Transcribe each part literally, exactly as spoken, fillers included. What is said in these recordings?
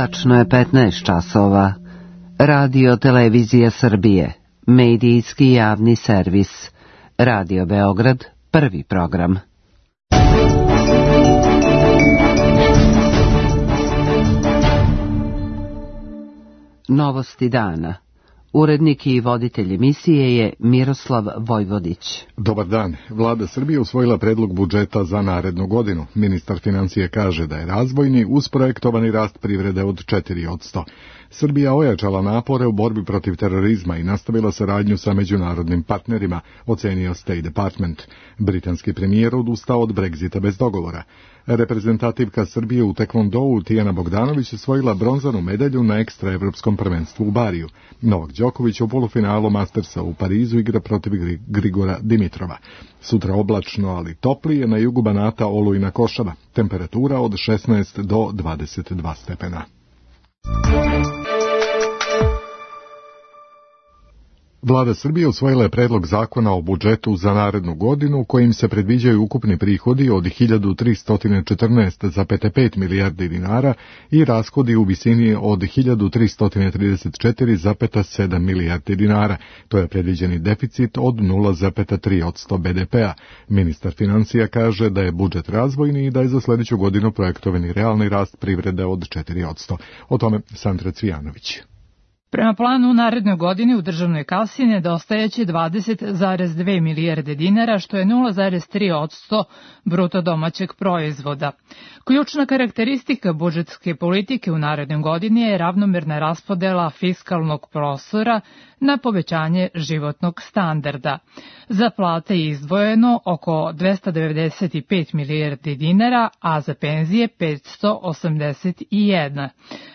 Tačno je petnaest časova. Radio Televizija Srbije, medijski javni servis. Radio Beograd, prvi program. Novosti dana. Urednik i voditelj emisije je Miroslav Vojvodić. Dobar dan. Vlada Srbije usvojila predlog budžeta za narednu godinu. Ministar financije kaže da je razvojni uz projektovani rast privrede od četiri posto. Srbija ojačala napore u borbi protiv terorizma i nastavila saradnju sa međunarodnim partnerima, ocenio State Department. Britanski premijer odustao od Brexita bez dogovora. Reprezentativka Srbije u tekvondou Tijana Bogdanović osvojila bronzanu medalju na ekstra evropskom prvenstvu u Bariju. Novak Đoković u polufinalu Mastersa u Parizu igra protiv Grigora Dimitrova. Sutra oblačno, ali toplije, na jugu Banata olujna košava. Temperatura od šesnaest do dvadeset dva stepena. Vlada Srbije usvojila je predlog zakona o budžetu za narednu godinu kojim se predviđaju ukupni prihodi od hiljadu tristo četrnaest zarez pet milijardi dinara i rashodi u visini od hiljadu tristo trideset četiri zarez sedam milijardi dinara. To je predviđeni deficit od nula zarez tri posto be de pe-a. Ministar financija kaže da je budžet razvojni i da je za sljedeću godinu projektovani realni rast privrede od četiri posto. O tome Sandra Cvijanović. Prema planu u narednoj godini u državnoj kasi nedostajeće dvadeset zarez dve milijarde dinara, što je nula zarez tri posto bruto domaćeg proizvoda. Ključna karakteristika budžetske politike u narednoj godini je ravnomerna raspodela fiskalnog prostora na povećanje životnog standarda. Za plate je izdvojeno oko dvesta devedeset pet milijardi dinara, a za penzije petsto osamdeset jedan,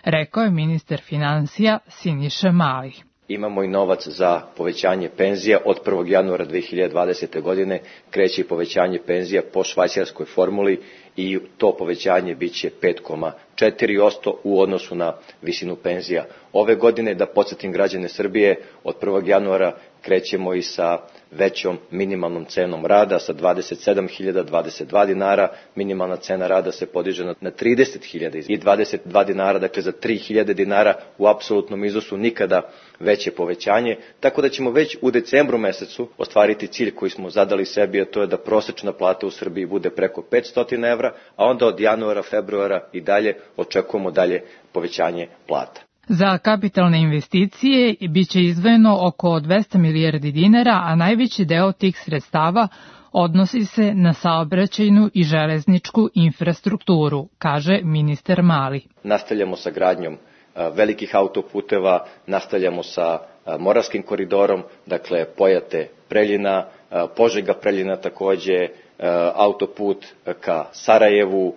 rekao je ministar financija Siniša Mali. Imamo i novac za povećanje penzija. Od prvog januara dve hiljade dvadesete. godine kreće povećanje penzija po švajcarskoj formuli i to povećanje biće pet zarez četiri posto u odnosu na visinu penzija. Ove godine, da podsjetim građane Srbije, od prvog januara krećemo i sa većom minimalnom cenom rada, sa dvadeset sedam hiljada dvadeset dva dinara, minimalna cena rada se podiže na trideset hiljada i dvadeset dva dinara, dakle za tri hiljade dinara u apsolutnom iznosu nikada veće povećanje, tako da ćemo već u decembru mesecu ostvariti cilj koji smo zadali sebi, a to je da prosečna plata u Srbiji bude preko petsto evra, a onda od januara, februara i dalje očekujemo dalje povećanje plata. Za kapitalne investicije biće izdvojeno oko dvesta milijardi dinara, a najveći deo tih sredstava odnosi se na saobraćajnu i železničku infrastrukturu, kaže ministar Mali. Nastavljamo sa gradnjom velikih autoputeva, nastavljamo sa Moravskim koridorom, dakle Pojate Preljina, Požega Preljina takođe, autoput ka Sarajevu,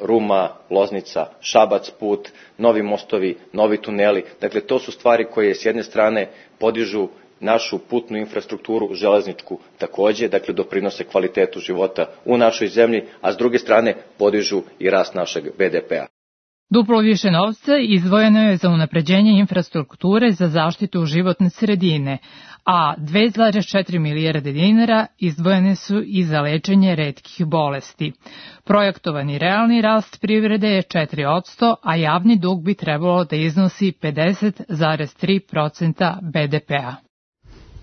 Ruma, Loznica, Šabac put, novi mostovi, novi tuneli. Dakle, to su stvari koje s jedne strane podižu našu putnu infrastrukturu, železničku takođe, dakle doprinose kvalitetu života u našoj zemlji, a s druge strane podižu i rast našeg be de pe-a. Duplo više novca izdvojeno je za unapređenje infrastrukture za zaštitu životne sredine, a dve zarez četiri milijarde dinara izdvojene su i za lečenje retkih bolesti. Projektovani realni rast privrede je četiri posto, a javni dug bi trebalo da iznosi pedeset zarez tri posto be de pe-a.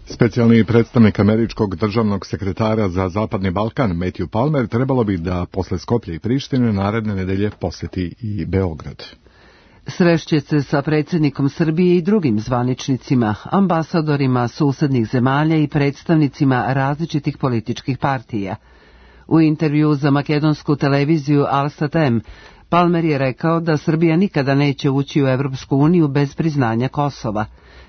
Specijalni predstavnik američkog državnog sekretara za Zapadni Balkan, Matthew Palmer, trebalo bi da posle Skoplja i Prištine naredne nedelje poseti i Beograd. Srešće se sa predsjednikom Srbije i drugim zvaničnicima, ambasadorima susednih zemalja i predstavnicima različitih političkih partija. U intervju za makedonsku televiziju Al-Satem, Palmer je rekao da Srbija nikada neće ući u Evropsku uniju bez priznanja Kosova.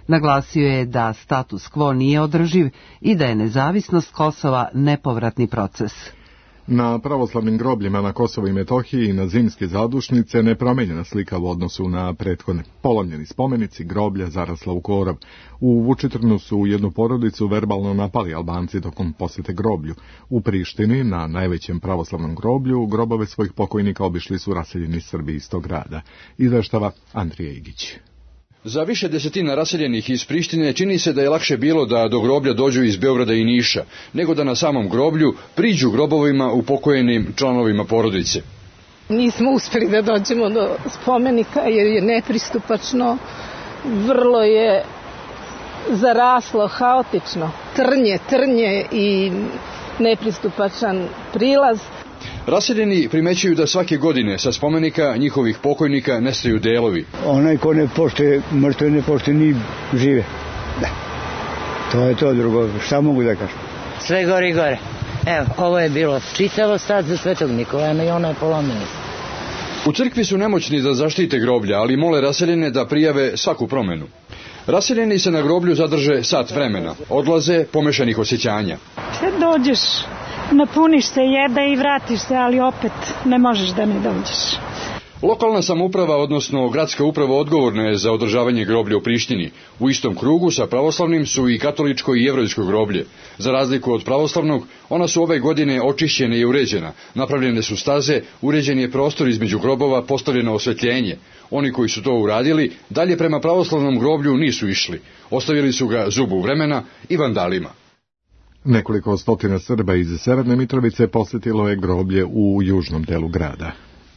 Naglasio je da status quo nije održiv i da je nezavisnost Kosova nepovratni proces. Na pravoslavnim grobljima na Kosovu i Metohiji i na zimske zadušnice nepromenjena slika u odnosu na prethodne. Polomljeni spomenici, groblja zarasla u korov. U Vučitrnu su jednu porodicu verbalno napali Albanci tokom posete groblju. U Prištini, na najvećem pravoslavnom groblju, grobove svojih pokojnika obišli su raseljeni Srbi iz tog grada. Izveštava Andrija Igić. Za više desetina raseljenih iz Prištine čini se da je lakše bilo da do groblja dođu iz Beograda i Niša, nego da na samom groblju priđu grobovima upokojenim članovima porodice. Nismo uspeli da dođemo do spomenika jer je nepristupačno, vrlo je zaraslo, haotično, trnje, trnje i nepristupačan prilaz. Raseljeni primećuju da svake godine sa spomenika njihovih pokojnika nestaju delovi. Onaj ko ne poštuje mrtve, ne poštuje ni žive. Da. To je to drugo. Šta mogu da kažem? Sve gore i gore. Evo, ovo je bilo čitavo sad za Svetog Nikolaja i ono je polomljeno. U crkvi su nemoćni da zaštite groblja, ali mole raseljene da prijave svaku promenu. Raseljeni se na groblju zadrže sat vremena, odlaze pomešanih osjećanja. Sve dođeš, napuniš se, jeda i vratiš se, ali opet ne možeš da ne dođeš. Lokalna samouprava, odnosno gradska uprava, odgovorna je za održavanje groblja u Prištini. U istom krugu sa pravoslavnim su i katoličko i jevrejsko groblje. Za razliku od pravoslavnog, ona su ove godine očišćene i uređena. Napravljene su staze, uređen je prostor između grobova, postavljeno osvetljenje. Oni koji su to uradili, dalje prema pravoslavnom groblju nisu išli. Ostavili su ga zubu vremena i vandalima. Nekoliko stotina Srba iz Severne Mitrovice posjetilo je groblje u južnom delu grada.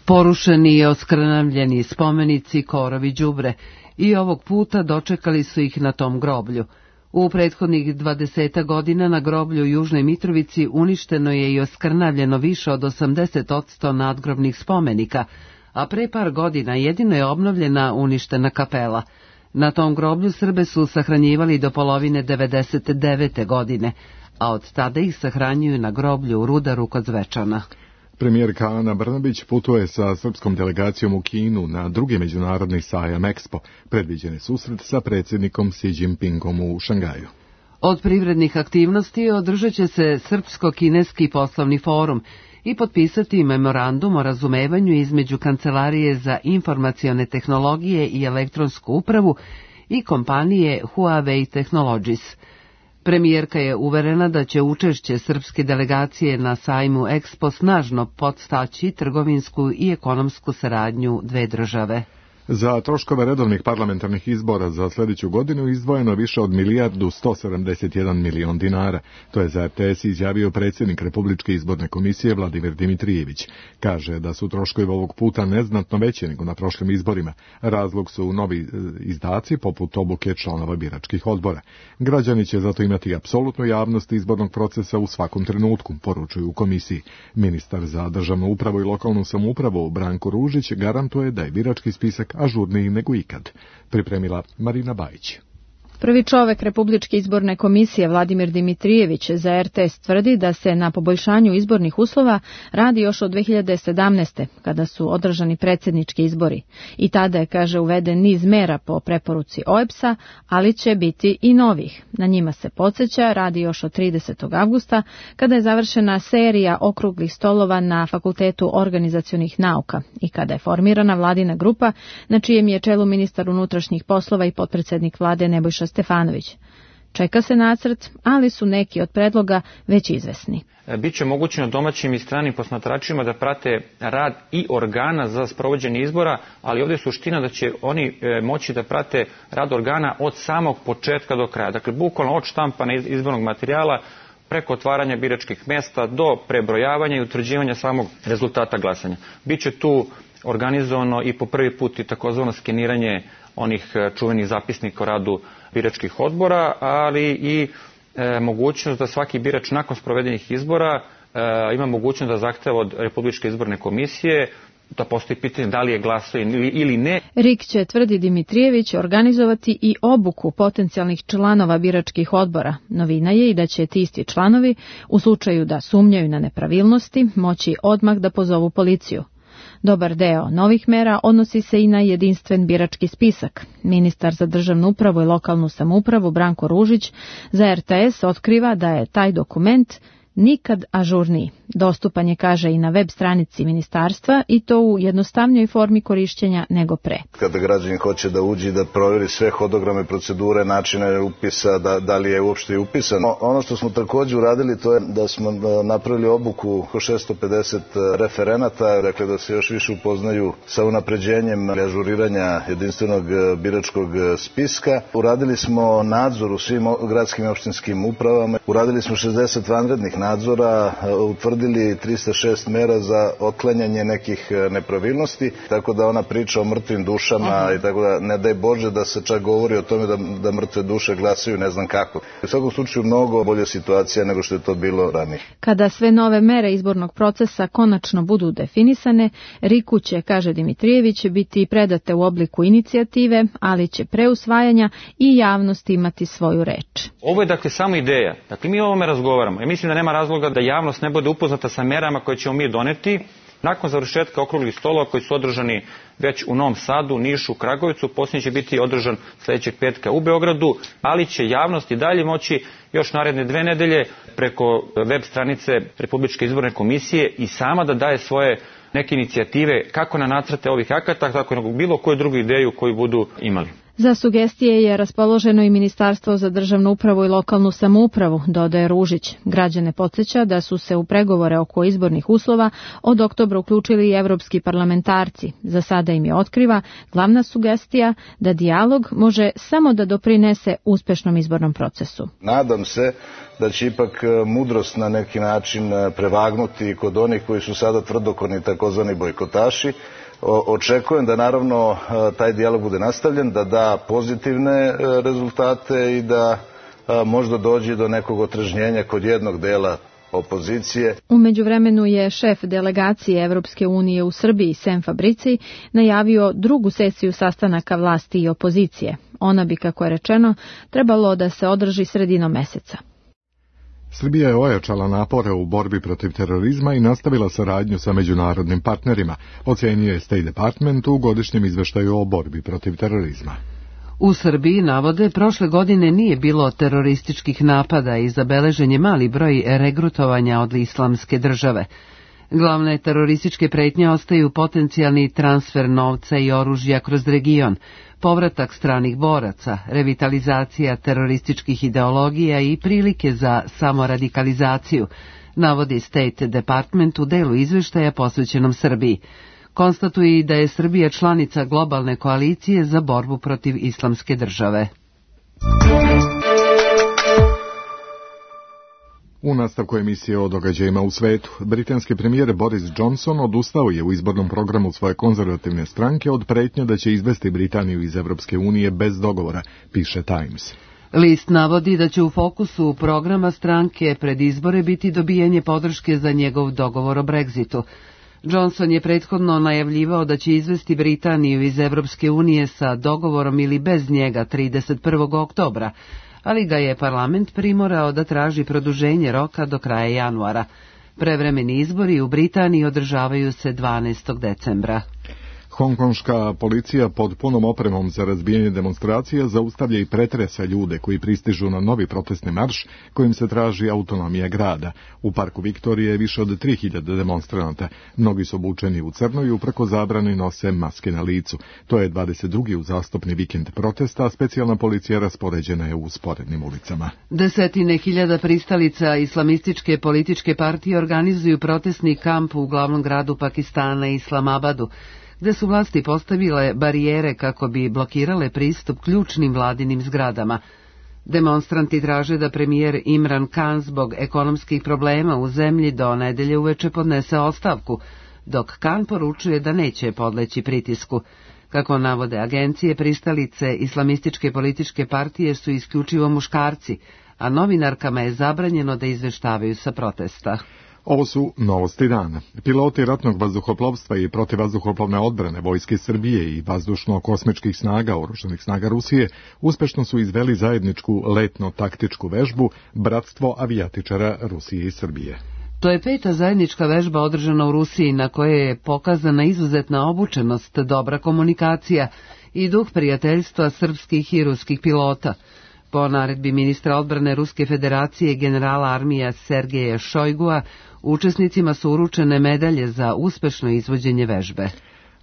Porušeni i oskrnavljeni spomenici korovi đubre i ovog puta dočekali su ih na tom groblju. U prethodnih dvadeset godina na groblju u Južnoj Mitrovici uništeno je i oskrnavljeno više od osamdeset posto nadgrobnih spomenika, a pre par godina jedino je obnovljena uništena kapela. Na tom groblju Srbe su sahranjivali do polovine devedeset devete godine, a od tada ih sahranjuju na groblju u Rudaru kod Zvečana. Premijerka Ana Brnabić putuje sa srpskom delegacijom u Kinu na drugi međunarodni sajam Expo, predviđen je susret sa predsjednikom Xi Jinpingom u Šangaju. Od privrednih aktivnosti održat će se Srpsko-kineski poslovni forum i potpisati memorandum o razumevanju između Kancelarije za informacione tehnologije i elektronsku upravu i kompanije Huawei Technologies. Premijerka je uverena da će učešće srpske delegacije na sajmu Expo snažno podstaći trgovinsku i ekonomsku saradnju dve države. Za troškove redovnih parlamentarnih izbora za sljedeću godinu izdvojeno više od milijardu sto sedamdeset jedan milion dinara. To je za R T S izjavio predsjednik Republičke izborne komisije Vladimir Dimitrijević. Kaže da su troškovi ovog puta neznatno veći nego na prošlim izborima. Razlog su novi izdaci poput obuke članova biračkih odbora. Građani će zato imati apsolutnu javnost izbornog procesa u svakom trenutku, poručuju u komisiji. Ministar za državnu upravu i lokalnu samoupravu Branko Ružić garantuje da je birački spisak ažurniji nego ikad, pripremila Marina Bajić. Prvi čovek Republičke izborne komisije Vladimir Dimitrijević za R T S tvrdi da se na poboljšanju izbornih uslova radi još od dve hiljade sedamnaeste. kada su održani predsjednički izbori. I tada je, kaže, uveden niz mera po preporuci O E B S-a, ali će biti i novih. Na njima se podsjeća radi još od tridesetog avgusta, kada je završena serija okruglih stolova na Fakultetu organizacionih nauka i kada je formirana vladina grupa na čijem je čelu ministar unutrašnjih poslova i potpredsjednik vlade Nebojša Stefanović. Čeka se nacrt, ali su neki od predloga već izvesni. Biće omogućeno domaćim i stranim posmatračima da prate rad i organa za sprovođenje izbora, ali ovdje je suština da će oni moći da prate rad organa od samog početka do kraja. Dakle, bukvalno od štampana izbornog materijala preko otvaranja biračkih mjesta do prebrojavanja i utvrđivanja samog rezultata glasanja. Biće tu organizovano i po prvi put i takozvano skeniranje onih čuvenih zapisnika o radu biračkih odbora, ali i e, mogućnost da svaki birač nakon sprovedenih izbora e, ima mogućnost da zahteva od Republičke izborne komisije da postoji pitanje da li je glasao ili, ili ne. R I K će, tvrdi Dimitrijević, organizovati i obuku potencijalnih članova biračkih odbora. Novina je i da će ti isti članovi, u slučaju da sumnjaju na nepravilnosti, moći odmah da pozovu policiju. Dobar deo novih mera odnosi se i na jedinstven birački spisak. Ministar za državnu upravu i lokalnu samoupravu Branko Ružić za R T S otkriva da je taj dokument nikad ažurniji. Dostupan je, kaže, i na web stranici ministarstva i to u jednostavnijoj formi korišćenja nego pre. Kada građanin hoće da uđe da provjeri sve hodograme, procedure, načine upisa, da, da li je uopšte upisan. Ono što smo također uradili to je da smo napravili obuku šesto pedeset referenata, dakle da se još više upoznaju sa unapređenjem ažuriranja jedinstvenog biračkog spiska. Uradili smo nadzor u svim gradskim i opštinskim upravama, uradili smo šezdeset vanrednih nadzora utvrdili trista šest mera za otklanjanje nekih nepravilnosti, tako da ona priča o mrtvim dušama i tako da ne daj Bože da se čak govori o tome da, da mrtve duše glasaju ne znam kako. U svakom slučaju mnogo bolja situacija nego što je to bilo ranije. Kada sve nove mere izbornog procesa konačno budu definisane, RIK-u će, kaže Dimitrijević, biti predate u obliku inicijative, ali će pre usvajanja i javnost imati svoju reč. Ovo je dakle samo ideja. Dakle, mi o ovome razgovaramo. Ja mislim da nema razloga da javnost ne bude upoznata sa merama koje ćemo mi doneti. Nakon završetka okruglih stolova koji su održani već u Novom Sadu, Nišu, Kragujevcu, posljednji će biti održan sljedećeg petka u Beogradu, ali će javnost i dalje moći još naredne dve nedelje preko web stranice Republičke izborne komisije i sama da daje svoje neke inicijative kako na nacrte ovih akata, tako i na bilo koju drugu ideju koju budu imali. Za sugestije je raspoloženo i Ministarstvo za državnu upravu i lokalnu samoupravu, dodaje Ružić. Građane podsjeća da su se u pregovore oko izbornih uslova od oktobra uključili i evropski parlamentarci. Za sada im je otkriva glavna sugestija da dijalog može samo da doprinese uspešnom izbornom procesu. Nadam se da će ipak mudrost na neki način prevagnuti kod onih koji su sada tvrdokorni takozvani bojkotaši. Očekujem da naravno taj dijalog bude nastavljen, da da pozitivne rezultate i da možda dođe do nekog otrežnjenja kod jednog dela opozicije. U međuvremenu je šef delegacije Evropske unije u Srbiji, Sem Fabrici, najavio drugu sesiju sastanaka vlasti i opozicije. Ona bi, kako je rečeno, trebalo da se održi sredinom meseca. Srbija je ojačala napore u borbi protiv terorizma i nastavila saradnju sa međunarodnim partnerima, ocenio je State Department u godišnjem izveštaju o borbi protiv terorizma. U Srbiji, navode, prošle godine nije bilo terorističkih napada i zabeležen je mali broj regrutovanja od Islamske države. Glavne terorističke pretnje ostaju potencijalni transfer novca i oružja kroz region, povratak stranih boraca, revitalizacija terorističkih ideologija i prilike za samoradikalizaciju, navodi State Department u delu izveštaja posvećenom Srbiji. Konstatuje i da je Srbija članica globalne koalicije za borbu protiv Islamske države. U nastavku emisije o događajima u svetu, britanski premijer Boris Johnson odustao je u izbornom programu svoje konzervativne stranke od pretnje da će izvesti Britaniju iz Evropske unije bez dogovora, piše Times. List navodi da će u fokusu programa stranke pred izbore biti dobijanje podrške za njegov dogovor o Brexitu. Johnson je prethodno najavljivao da će izvesti Britaniju iz Evropske unije sa dogovorom ili bez njega trideset prvog oktobra, ali ga je parlament primorao da traži produženje roka do kraja januara. Prevremeni izbori u Britaniji održavaju se dvanaestog decembra. Hongkonška policija pod punom opremom za razbijanje demonstracija zaustavlja i pretresa ljude koji pristižu na novi protestni marš kojim se traži autonomija grada. U parku Viktorije je više od tri hiljade demonstranata. Mnogi su obučeni u crno i uprko zabrani nose maske na licu. To je dvadeset drugi uzastopni vikend protesta, a specijalna policija raspoređena je u sporednim ulicama. Desetine hiljada pristalica islamističke političke partije organizuju protestni kamp u glavnom gradu Pakistana, Islamabadu, gde su vlasti postavile barijere kako bi blokirale pristup ključnim vladinim zgradama. Demonstranti traže da premijer Imran Khan zbog ekonomskih problema u zemlji do nedelje uveče podnese ostavku, dok Khan poručuje da neće podleći pritisku. Kako navode agencije, pristalice islamističke političke partije su isključivo muškarci, a novinarkama je zabranjeno da izveštavaju sa protesta. Ovo su novosti dana. Piloti ratnog vazduhoplovstva i protivvazduhoplovne odbrane Vojske Srbije i vazdušno-kosmičkih snaga oružanih snaga Rusije uspešno su izveli zajedničku letno-taktičku vežbu Bratstvo avijatičara Rusije i Srbije. To je peta zajednička vežba održana u Rusiji na kojoj je pokazana izuzetna obučenost, dobra komunikacija i duh prijateljstva srpskih i ruskih pilota. Po naredbi ministra odbrane Ruske federacije generala armija Sergeja Šojgua, učesnicima su uručene medalje za uspešno izvođenje vežbe.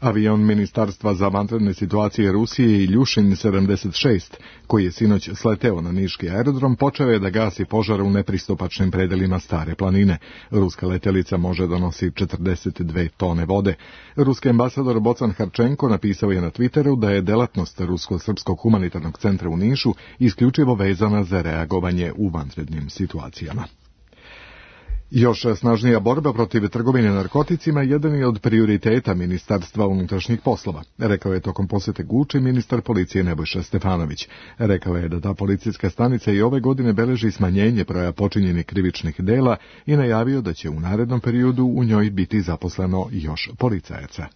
Avion Ministarstva za vanredne situacije Rusije Iljušin sedamdeset šest, koji je sinoć sleteo na niški aerodrom, počeo je da gasi požar u nepristupačnim predelima Stare planine. Ruska letelica može da nosi četrdeset dve tone vode. Ruski ambasador Bocan Harčenko napisao je na Twitteru da je delatnost Rusko-srpskog humanitarnog centra u Nišu isključivo vezana za reagovanje u vanrednim situacijama. Još snažnija borba protiv trgovine narkoticima jedan je od prioriteta Ministarstva unutrašnjih poslova, rekao je tokom posete Guči ministar policije Nebojša Stefanović. Rekao je da ta policijska stanica i ove godine beleži smanjenje broja počinjenih krivičnih dela i najavio da će u narednom periodu u njoj biti zaposleno još policajaca.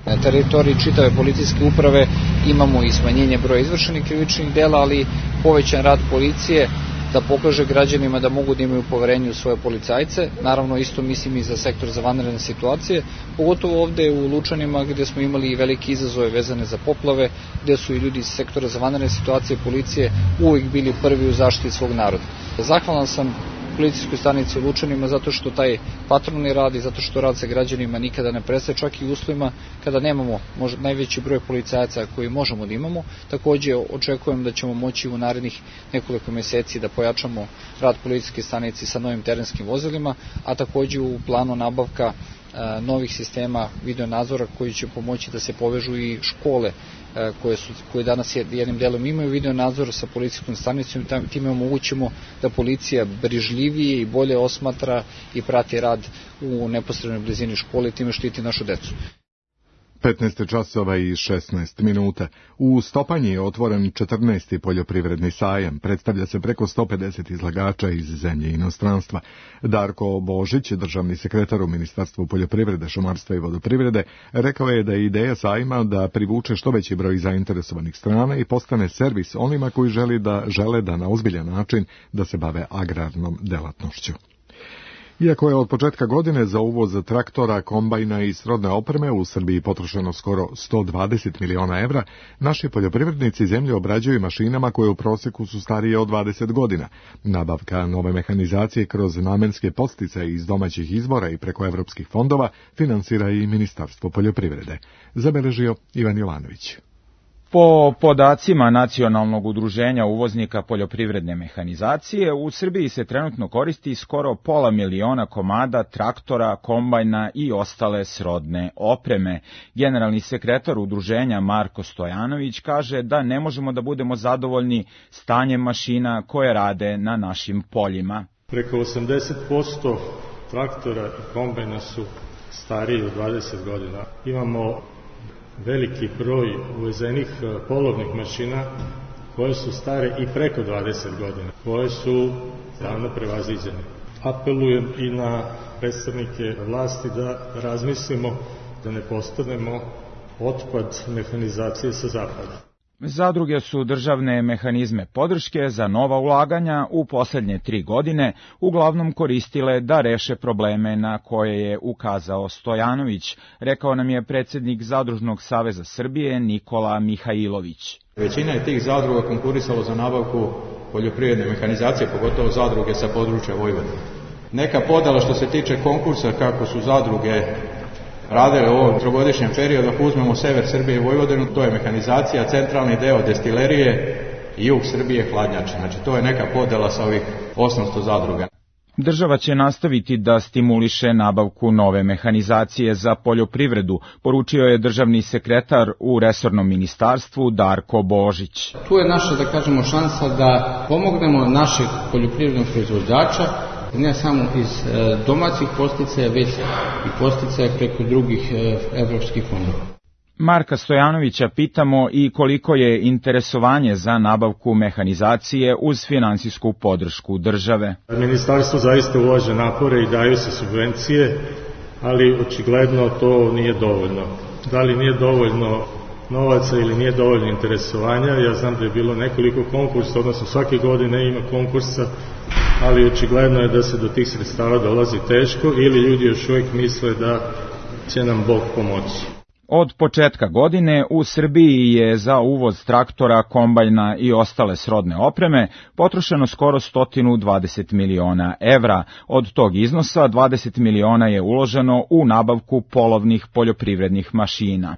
Na teritoriji čitave policijske uprave imamo i smanjenje broja izvršenih krivičnih dela, ali povećan rad policije da pokaže građanima da mogu da imaju poverenje u svoje policajce. Naravno, isto mislim i za sektor za vanredne situacije, pogotovo ovde u Lučanima gde smo imali velike izazove vezane za poplave, gde su i ljudi iz sektora za vanredne situacije policije uvijek bili prvi u zaštiti svog naroda. Zahvalan sam policijskoj stanici u Lučanima zato što taj patrolni rad i zato što rad sa građanima nikada ne prestaje, čak i u uslovima kada nemamo možda najveći broj policajaca koji možemo da imamo. Takođe očekujem da ćemo moći u narednih nekoliko meseci da pojačamo rad policijske stanice sa novim terenskim vozilima, a takođe u planu nabavka e, novih sistema videonadzora koji će pomoći da se povežu i škole koje, su, koje danas jednim delom imaju video nadzor sa policijskom stanicom i time omogućimo da policija brižljivije i bolje osmatra i prati rad u neposrednoj blizini škole i time štiti našu decu. petnaest časova i šesnaest minuta. U Stopanji je otvoren četrnaesti poljoprivredni sajam. Predstavlja se preko sto pedeset izlagača iz zemlje i inostranstva. Darko Božić, državni sekretar u Ministarstvu poljoprivrede, šumarstva i vodoprivrede, rekao je da je ideja sajma da privuče što veći broj zainteresovanih strana i postane servis onima koji želi da, žele da na ozbiljan način da se bave agrarnom delatnošću. Iako je od početka godine za uvoz traktora, kombajna i srodne opreme u Srbiji potrošeno skoro sto dvadeset miliona evra, naši poljoprivrednici zemlje obrađuju mašinama koje u proseku su starije od dvadeset godina. Nabavka nove mehanizacije kroz namenske podsticaje iz domaćih izvora i preko evropskih fondova finansira i Ministarstvo poljoprivrede. Zabeležio Ivan Jovanović. Po podacima Nacionalnog udruženja uvoznika poljoprivredne mehanizacije, u Srbiji se trenutno koristi skoro pola miliona komada traktora, kombajna i ostale srodne opreme. Generalni sekretar udruženja Marko Stojanović kaže da ne možemo da budemo zadovoljni stanjem mašina koje rade na našim poljima. Preko osamdeset posto traktora i kombajna su stariji od dvadeset godina. Imamo veliki broj uvezenih polovnih mašina koje su stare i preko dvadeset godina, koje su davno prevaziđene. Apelujem i na predstavnike vlasti da razmislimo da ne postanemo otpad mehanizacije sa zapada. Zadruge su državne mehanizme podrške za nova ulaganja u poslednje tri godine uglavnom koristile da reše probleme na koje je ukazao Stojanović, rekao nam je predsjednik Zadružnog saveza Srbije Nikola Mihajlović. Većina je tih zadruga konkurisalo za nabavku poljoprivredne mehanizacije, pogotovo zadruge sa područja Vojvodine. Neka podela što se tiče konkursa kako su zadruge radile u ovom trogodišnjem periodu, ako uzmemo sever Srbije i Vojvodinu, to je mehanizacija, centralni deo destilerije i jug Srbije hladnjače. Znači to je neka podela sa ovih osamsto zadruga. Država će nastaviti da stimuliše nabavku nove mehanizacije za poljoprivredu, poručio je državni sekretar u resornom ministarstvu Darko Božić. Tu je naša, da kažemo, šansa da pomognemo našeg poljoprivrednog proizvođača, ne samo iz domaćih podsticaja, već i podsticaja preko drugih evropskih fondova. Marka Stojanovića pitamo i koliko je interesovanje za nabavku mehanizacije uz finansijsku podršku države. Ministarstvo zaista ulaže napore i daju se subvencije, ali očigledno to nije dovoljno. Da li nije dovoljno novaca ili nije dovoljno interesovanja, ja znam da je bilo nekoliko konkursa, odnosno svake godine ima konkursa, ali očigledno je da se do tih sredstava dolazi teško ili ljudi još uvijek misle da će nam Bog pomoći. Od početka godine u Srbiji je za uvoz traktora, kombajna i ostale srodne opreme potrošeno skoro sto dvadeset miliona evra. Od tog iznosa dvadeset miliona je uloženo u nabavku polovnih poljoprivrednih mašina.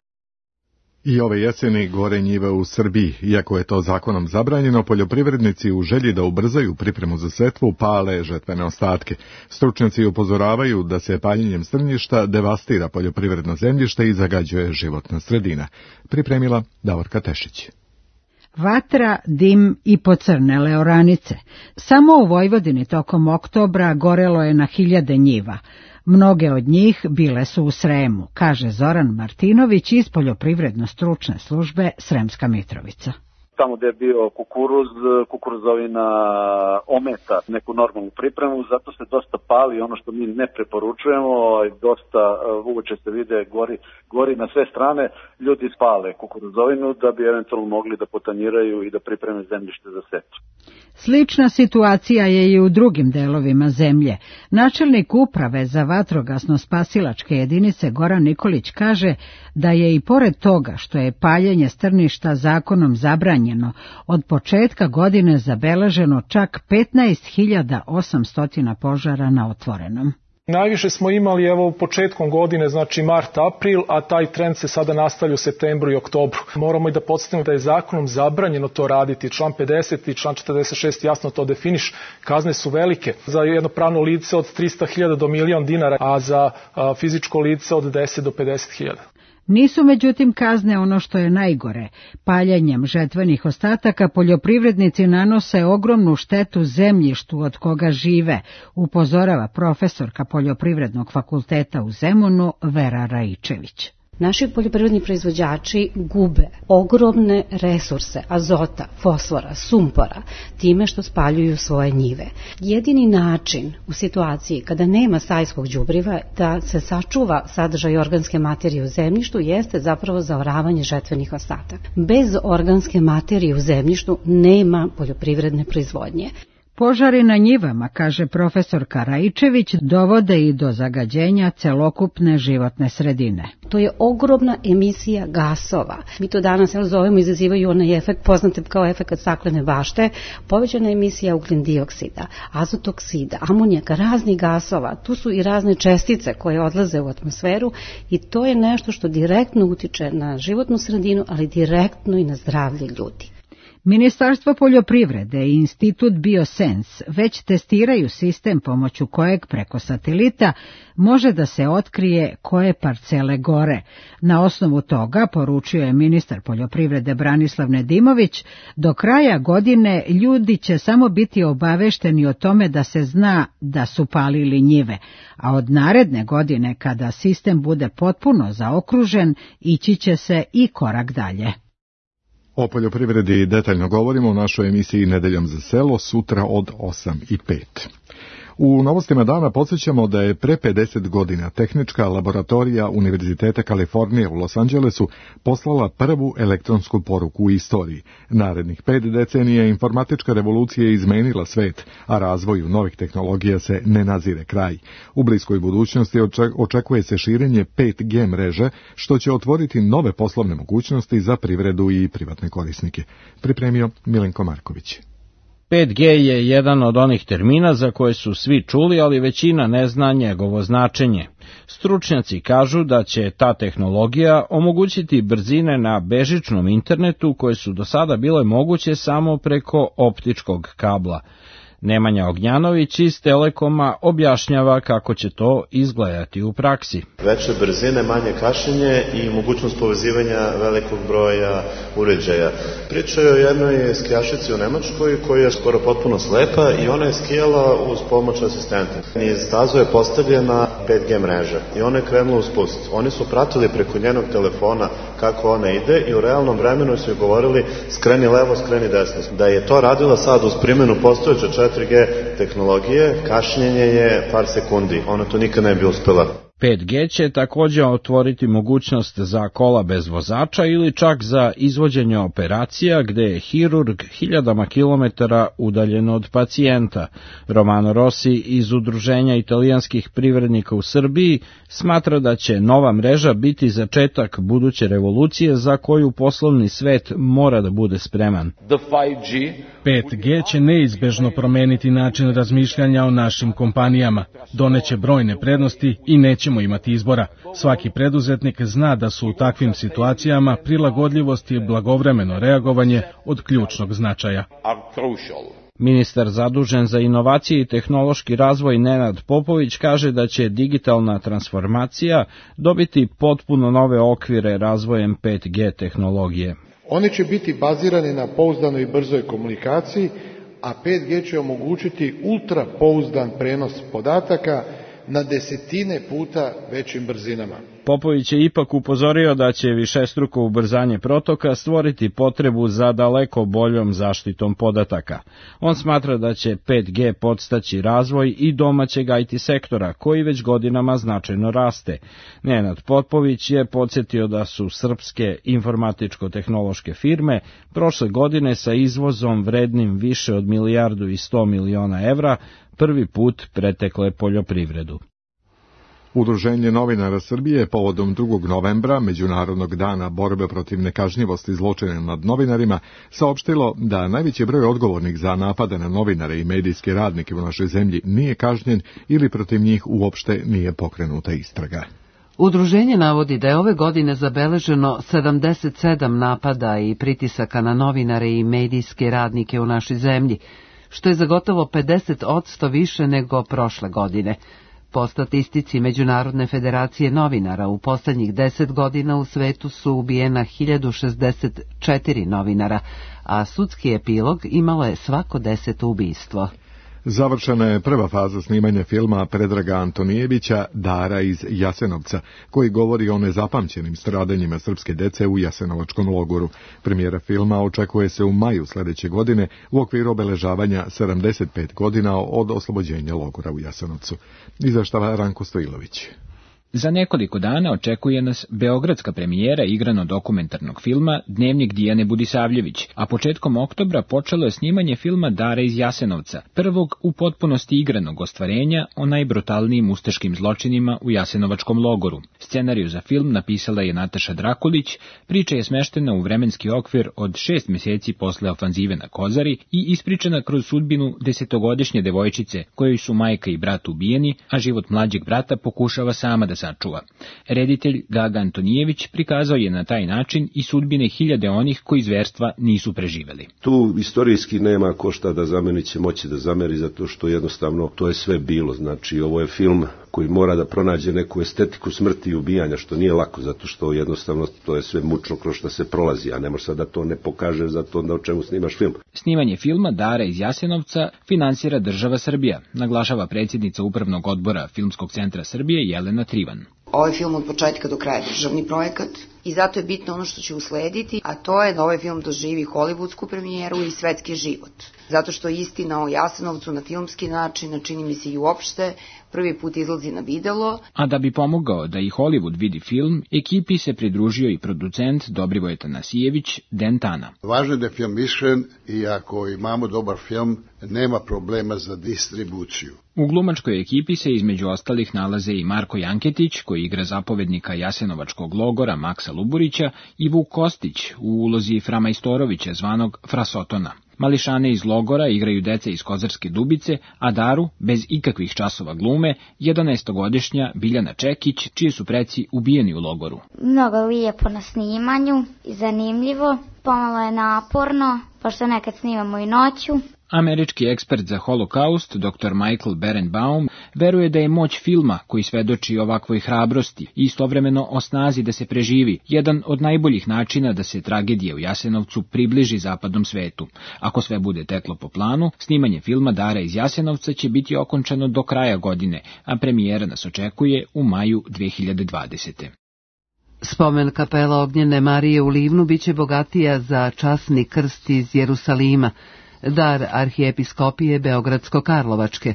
I ove jeseni gore njive u Srbiji. Iako je to zakonom zabranjeno, poljoprivrednici u želji da ubrzaju pripremu za setvu pale žetvene ostatke. Stručnjaci upozoravaju da se paljenjem strnjišta devastira poljoprivredno zemljište i zagađuje životna sredina. Pripremila Davorka Tešić. Vatra, dim i pocrnele oranice. Samo u Vojvodini tokom oktobra gorelo je na hiljade njiva. Mnoge od njih bile su u Sremu, kaže Zoran Martinović iz Poljoprivredno-stručne službe Sremska Mitrovica. Tamo gde je bio kukuruz, kukuruzovina ometa neku normalnu pripremu, zato se dosta pali, ono što mi ne preporučujemo, dosta uoče se vide, gori, gori na sve strane, ljudi spale kukuruzovinu da bi eventualno mogli da potanjiraju i da pripreme zemljište za setvu. Slična situacija je i u drugim delovima zemlje. Načelnik uprave za vatrogasno-spasilačke jedinice Goran Nikolić kaže da je i pored toga što je paljenje strništa zakonom zabranjeno, od početka godine zabeleženo čak petnaest hiljada osamsto požara na otvorenom. Najviše smo imali evo početkom godine, znači mart, april, a taj trend se sada nastavlja u septembru i oktobru. Moramo i da podsjetimo da je zakonom zabranjeno to raditi. Član pedeset i član četrdeset šest jasno to definiš. Kazne su velike. Za jedno pravno lice od trista hiljada do milion dinara, a za a, fizičko lice od deset do pedeset hiljada. Nisu međutim kazne ono što je najgore. Paljenjem žetvenih ostataka poljoprivrednici nanose ogromnu štetu zemljištu od koga žive, upozorava profesorka Poljoprivrednog fakulteta u Zemunu Vera Raičević. Naši poljoprivredni proizvođači gube ogromne resurse azota, fosfora, sumpora time što spaljuju svoje njive. Jedini način u situaciji kada nema stajskog đubriva da se sačuva sadržaj organske materije u zemljištu jeste zapravo zaoravanje žetvenih ostataka. Bez organske materije u zemljištu nema poljoprivredne proizvodnje. Požari na njivama, kaže profesorka Raičević, dovode i do zagađenja celokupne životne sredine. To je ogromna emisija gasova. Mi to danas evo, zovemo, izazivaju onaj efekt, poznate kao efekt staklene bašte, povećana emisija ugljen dioksida, azotoksida, amonijaka, raznih gasova. Tu su i razne čestice koje odlaze u atmosferu i to je nešto što direktno utiče na životnu sredinu, ali direktno i na zdravlje ljudi. Ministarstvo poljoprivrede i Institut Biosens već testiraju sistem pomoću kojeg preko satelita može da se otkrije koje parcele gore. Na osnovu toga, poručio je ministar poljoprivrede Branislav Nedimović, do kraja godine ljudi će samo biti obavešteni o tome da se zna da su palili njive, a od naredne godine, kada sistem bude potpuno zaokružen, ići će se i korak dalje. O poljoprivredi detaljno govorimo u našoj emisiji Nedeljom za selo sutra od osam i pet. U novostima dana podsjećamo da je pre pedeset godina Tehnička laboratorija Univerziteta Kalifornije u Los Angelesu poslala prvu elektronsku poruku u istoriji. Narednih pet decenija informatička revolucija je izmenila svet, a razvoju novih tehnologija se ne nazire kraj. U bliskoj budućnosti očekuje se širenje pet G mreže, što će otvoriti nove poslovne mogućnosti za privredu i privatne korisnike. Pripremio Milenko Marković. pet G je jedan od onih termina za koje su svi čuli, ali većina ne zna njegovo značenje. Stručnjaci kažu da će ta tehnologija omogućiti brzine na bežičnom internetu koje su do sada bile moguće samo preko optičkog kabla. Nemanja Ognjanović iz Telekoma objašnjava kako će to izgledati u praksi. Veće brzine, manje kašnjenje i mogućnost povezivanja velikog broja uređaja. Priča je o jednoj skijašici u Nemačkoj koja je skoro potpuno slepa i ona je skijala uz pomoć asistenta. Niz stazu je postavljena pet G mreža i ona je krenula u spust. Oni su pratili preko njenog telefona kako ona ide i u realnom vremenu su joj govorili skreni levo, skreni desno. Da je to radila sad uz primjenu postojeće četiri G tehnologije, kašnjenje je par sekundi. Ona to nikad ne bi uspela. pet G će također otvoriti mogućnost za kola bez vozača ili čak za izvođenje operacija gde je hirurg hiljadama kilometara udaljen od pacijenta. Romano Rossi iz Udruženja italijanskih privrednika u Srbiji smatra da će nova mreža biti začetak buduće revolucije za koju poslovni svet mora da bude spreman. pet G će neizbežno promeniti način razmišljanja o našim kompanijama, doneće brojne prednosti i nećemo imati izbora. Svaki preduzetnik zna da su u takvim situacijama prilagodljivost i blagovremeno reagovanje od ključnog značaja. Ministar zadužen za inovacije i tehnološki razvoj Nenad Popović kaže da će digitalna transformacija dobiti potpuno nove okvire razvojem pet G tehnologije. Oni će biti bazirani na pouzdanoj i brzoj komunikaciji, a pet G će omogućiti ultra pouzdan prenos podataka na desetine puta većim brzinama. Popović je ipak upozorio da će višestruko ubrzanje protoka stvoriti potrebu za daleko boljom zaštitom podataka. On smatra da će pet G podstaći razvoj i domaćeg I T sektora, koji već godinama značajno raste. Nenad Popović je podsjetio da su srpske informatičko-tehnološke firme prošle godine sa izvozom vrednim više od milijardu i sto miliona evra prvi put pretekle poljoprivredu. Udruženje novinara Srbije povodom drugog novembra, Međunarodnog dana borbe protiv nekažnjivosti zločina nad novinarima, saopštilo da najveći broj odgovornih za napade na novinare i medijske radnike u našoj zemlji nije kažnjen ili protiv njih uopšte nije pokrenuta istraga. Udruženje navodi da je ove godine zabeleženo sedamdeset sedam napada i pritisaka na novinare i medijske radnike u našoj zemlji, što je za gotovo pedeset posto više nego prošle godine. Po statistici Međunarodne federacije novinara, u poslednjih deset godina u svetu su ubijena hiljadu šezdeset četiri novinara, a sudski epilog imalo je svako deseto ubistvo. Završena je prva faza snimanja filma Predraga Antonijevića Dara iz Jasenovca, koji govori o nezapamćenim stradanjima srpske dece u Jasenovačkom logoru. Premijera filma očekuje se u maju sledeće godine u okviru obeležavanja sedamdeset pet godina od oslobođenja logora u Jasenovcu. Izveštava Ranko Stojilović. Za nekoliko dana očekuje nas beogradska premijera igrano-dokumentarnog filma Dnevnik Dijane Budisavljević, a početkom oktobra počelo je snimanje filma Dara iz Jasenovca, prvog u potpunosti igranog ostvarenja o najbrutalnijim ustaškim zločinima u Jasenovačkom logoru. Scenariju za film napisala je Nataša Drakulić, priča je smeštena u vremenski okvir od šest meseci posle ofanzive na Kozari i ispričana kroz sudbinu desetogodišnje devojčice, kojoj su majka i brat ubijeni, a život mlađeg brata pokušava sama da sačuva. Reditelj Gaga Antonijević prikazao je na taj način i sudbine hiljade onih koji zverstva nisu preživeli. Tu istorijski nema ko šta da zameni, će moći da zameri, zato što jednostavno to je sve bilo. Znači, ovo je film koji mora da pronađe neku estetiku smrti i ubijanja, što nije lako, zato što jednostavno to je sve mučno kroz što se prolazi, a ne može sad da to ne pokaže zato da o čemu snimaš film. Snimanje filma Dara iz Jasenovca finansira država Srbija, naglašava predsjednica Upravnog odbora Filmskog centra Srbije Jelena Trivan. Ovaj film od početka do kraja državni projekat i zato je bitno ono što će uslediti, a to je da ovaj film doživi hollywoodsku premijeru i svetski život. Zato što istina o Jasenovcu na filmski način, a čini mi se i uopšte, prvi put izlazi na videlo. A da bi pomogao da i Hollywood vidi film, ekipi se pridružio i producent Dobrivoje Tanasijević, Dentana. Važno je da je film iskren i ako imamo dobar film, nema problema za distribuciju. U glumačkoj ekipi se između ostalih nalaze i Marko Janketić, koji igra zapovednika Jasenovačkog logora Maksa Luburića, i Vuk Kostić u ulozi Fra Majstorovića, zvanog Frasotona. Mališane iz logora igraju deca iz Kozarske Dubice, a Daru, bez ikakvih časova glume, jedanaestogodišnja Biljana Čekić, čiji su preci ubijeni u logoru. Mnogo lijepo na snimanju i zanimljivo, pomalo je naporno, pošto nekad snimamo i noću. Američki ekspert za holokaust, doktor Michael Berenbaum, veruje da je moć filma, koji svedoči ovakvoj hrabrosti i istovremeno o snazi da se preživi, jedan od najboljih načina da se tragedija u Jasenovcu približi zapadnom svetu. Ako sve bude teklo po planu, snimanje filma Dara iz Jasenovca će biti okončano do kraja godine, a premijera nas očekuje u maju dve hiljade dvadesete. Spomen kapela Ognjene Marije u Livnu biće bogatija za časni krst iz Jerusalima, dar arhijepiskopije Beogradsko-Karlovačke.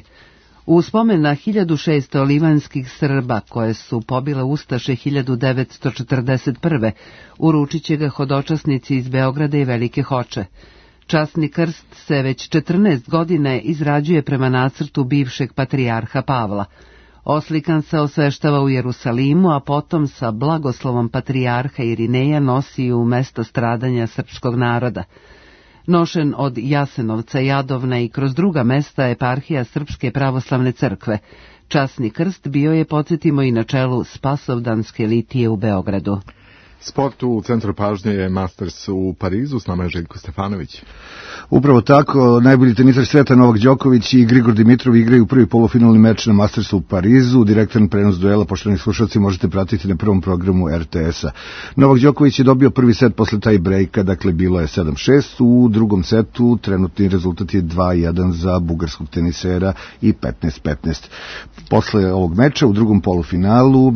U spomen na hiljadu šesto livanskih Srba koje su pobile ustaše hiljadu devetsto četrdeset prve. uručit će ga hodočasnici iz Beograda i Velike Hoče. Časni krst se već četrnaest godina izrađuje prema nacrtu bivšeg patrijarha Pavla. Oslikan se osveštava u Jerusalimu, a potom sa blagoslovom patrijarha Irineja nosi u mesto stradanja srpskog naroda. Nošen od Jasenovca, Jadovna i kroz druga mesta eparhija Srpske pravoslavne crkve. Časni krst bio je, podsjetimo, i na čelu Spasovdanske litije u Beogradu. Sport u centru pažnje je Masters u Parizu, s nama je Željko Stefanović. Upravo tako, najbolji tenisar sveta Novak Đoković i Grigor Dimitrov igraju prvi polufinalni meč na Mastersu u Parizu. Direktan prenos duela, poštovani slušalci, možete pratiti na prvom programu R T S-a. Novak Đoković je dobio prvi set posle taj brejka, dakle bilo je sedam šest. U drugom setu trenutni rezultat je dva jedan za bugarskog tenisera i petnaest petnaest. Posle ovog meča u drugom polufinalu e,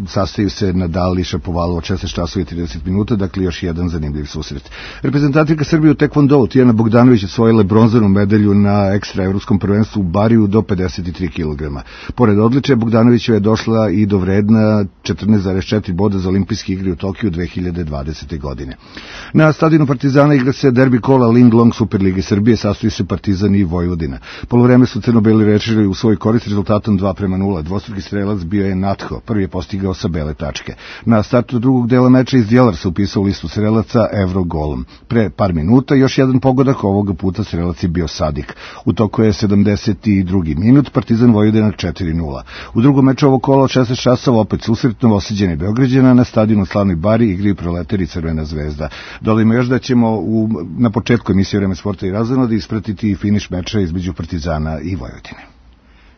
sastaju se Nadal i Šapovalov od šesnaest časova i trideset minuta, dakle još jedan zanimljiv susret. Reprezentativka Srbije u tekvondou Tijana Bogdanović osvojila bronzanu medalju na ekstra evropskom prvenstvu u Bariju do pedeset tri kilograma. Pored odličja, Bogdanovićeva je došla i do vredna četrnaest zarez četiri boda za olimpijske igre u Tokiju dve hiljade dvadesete. godine. Na stadionu Partizana igra se derbi kola Ling Long Superlige Srbije, sastoji se Partizan i Vojvodina. Poluvreme su crno-beli rešili u svoj korist rezultatom dva prema nula. Dvostruki strelac bio je Natho, prvi je postigao sa bele tačke. Na startu drugog dela meča iz Djelar se upisao u listu strelaca Evro golom. Pre par minuta još jedan pogodak, ovoga puta strelac je bio Sadik. U toku je sedamdeset drugi minut, Partizan Vojvodina četiri nula. U drugom meču ovog kola od šesnaest časova opet susret Novosađana i Beograđana na stadionu Slavnoj Bari igraju Proletari i Crvena zvezda. Dodajmo još da ćemo u, na početku emisije Vreme sporta i razonode ispratiti i finiš meča između Partizana i Vojvodine.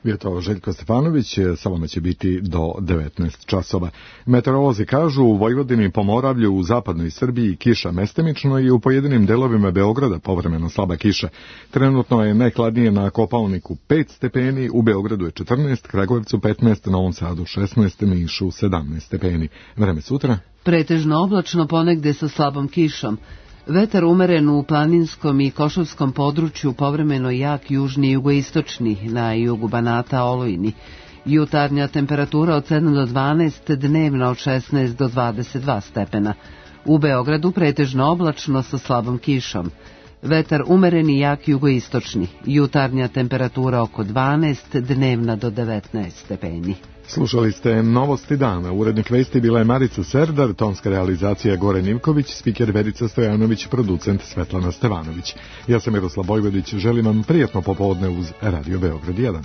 Bio to Željko Stefanović, sa vama će biti do devetnaest časova. Meteorolozi kažu u Vojvodini, Pomoravlju, u zapadnoj Srbiji kiša mestimično i u pojedinim delovima Beograda povremeno slaba kiša. Trenutno je najhladnije na Kopaoniku pet stepeni, u Beogradu je četrnaest, Kragujevcu petnaest, Novom Sadu šesnaest, Nišu sedamnaest stepeni. Vreme sutra? Pretežno oblačno, ponegde sa slabom kišom. Vetar umeren u planinskom i košavskom području, povremeno jak južni i jugoistočni, na jugu Banata olujni. Jutarnja temperatura od sedam do dvanaest, dnevna od šesnaest do dvadeset dva stepena. U Beogradu pretežno oblačno sa slabom kišom. Vetar umeren i jak jugoistočni. Jutarnja temperatura oko dvanaest, dnevna do devetnaest stepeni. Slušali ste Novosti dana. Urednik vesti bila je Marica Serdar, tonska realizacija Goran Ivković, spiker Verica Stojanović, producent Svetlana Stevanović. Ja sam Miroslav Bojvodić, želim vam prijatno popodne uz Radio Beograd jedan.